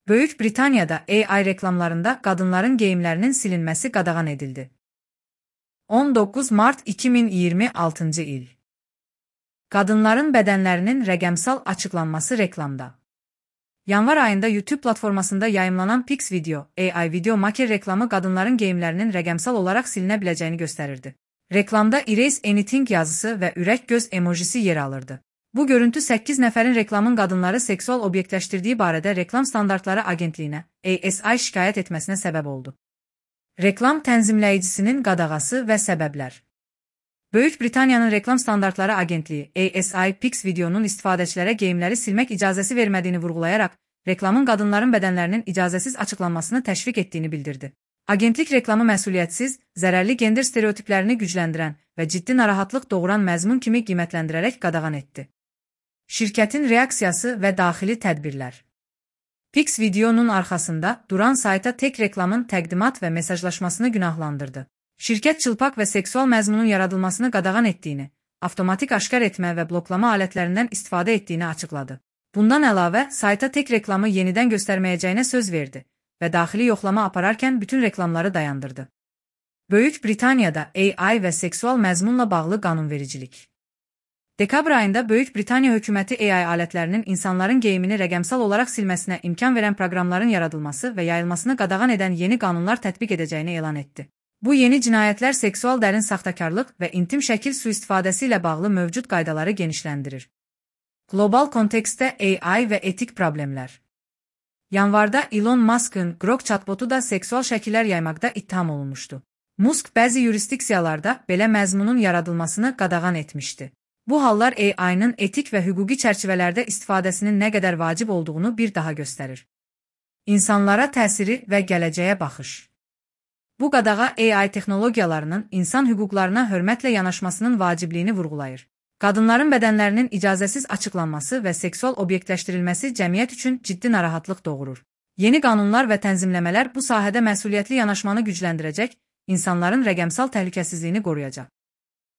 Böyük Britaniyada AI reklamlarında qadınların geyimlərinin silinməsi qadağan edildi. 19 Mart 2026 il. Qadınların bədənlərinin rəqəmsal açıqlanması reklamda. Yanvar ayında YouTube platformasında yayımlanan Pix Video, AI Video Maker reklamı qadınların geyimlərinin rəqəmsal olaraq silinə biləcəyini göstərirdi. Reklamda Erase Anything yazısı və ürək göz emojisi yer alırdı. Bu görüntü 8 nəfərin reklamın qadınları seksual obyektləşdirdiyi barədə Reklam Standartları Agentliyinə, ASI şikayət etməsinə səbəb oldu. Reklam tənzimləyicisinin qadağası və səbəblər. Böyük Britaniyanın Reklam Standartları Agentliyi, ASI, Pix Videonun istifadəçilərə geyimləri silmək icazəsi vermədiyini vurğulayaraq, reklamın qadınların bədənlərinin icazəsiz açıqlanmasını təşviq etdiyini bildirdi. Agentlik reklamı məsuliyyətsiz, zərərli gender stereotiplərini gücləndirən və ciddi narahatlıq doğuran məzmun kimi qiymətləndirərək qadağan etdi. Şirkətin reaksiyası və daxili tədbirlər. Pix Videonun arxasında duran sayta tek reklamın təqdimat və mesajlaşmasını günahlandırdı. Şirkət çılpaq və seksual məzmunun yaradılmasını qadağan etdiyini, avtomatik aşkar etmə və bloklama alətlərindən istifadə etdiyini açıqladı. Bundan əlavə, sayta tek reklamı yenidən göstərməyəcəyinə söz verdi və daxili yoxlama apararkən bütün reklamları dayandırdı. Böyük Britaniyada AI və seksual məzmunla bağlı qanunvericilik. Dekabr ayında Böyük Britaniya hökuməti AI alətlərinin insanların geyimini rəqəmsal olaraq silməsinə imkan verən proqramların yaradılması və yayılmasını qadağan edən yeni qanunlar tətbiq edəcəyini elan etdi. Bu yeni cinayətlər seksual dərin saxtakarlıq və intim şəkil sui-istifadəsi ilə bağlı mövcud qaydaları genişləndirir. Qlobal kontekstdə AI və etik problemlər. Yanvarda Elon Musk'ın Grok chatbotu da seksual şəkillər yaymaqda ittiham olunmuşdu. Musk bəzi yurisdiksiyalarda belə məzmunun yaradılmasını qadağan etmişdi. Bu hallar AI'nın etik və hüquqi çərçivələrdə istifadəsinin nə qədər vacib olduğunu bir daha göstərir. İnsanlara təsiri və gələcəyə baxış. Bu qadağa AI texnologiyalarının insan hüquqlarına hörmətlə yanaşmasının vacibliyini vurğulayır. Qadınların bədənlərinin icazəsiz açıqlanması və seksual obyektləşdirilməsi cəmiyyət üçün ciddi narahatlıq doğurur. Yeni qanunlar və tənzimləmələr bu sahədə məsuliyyətli yanaşmanı gücləndirəcək, insanların rəqəmsal təhlükəsizliyini qoruyacaq.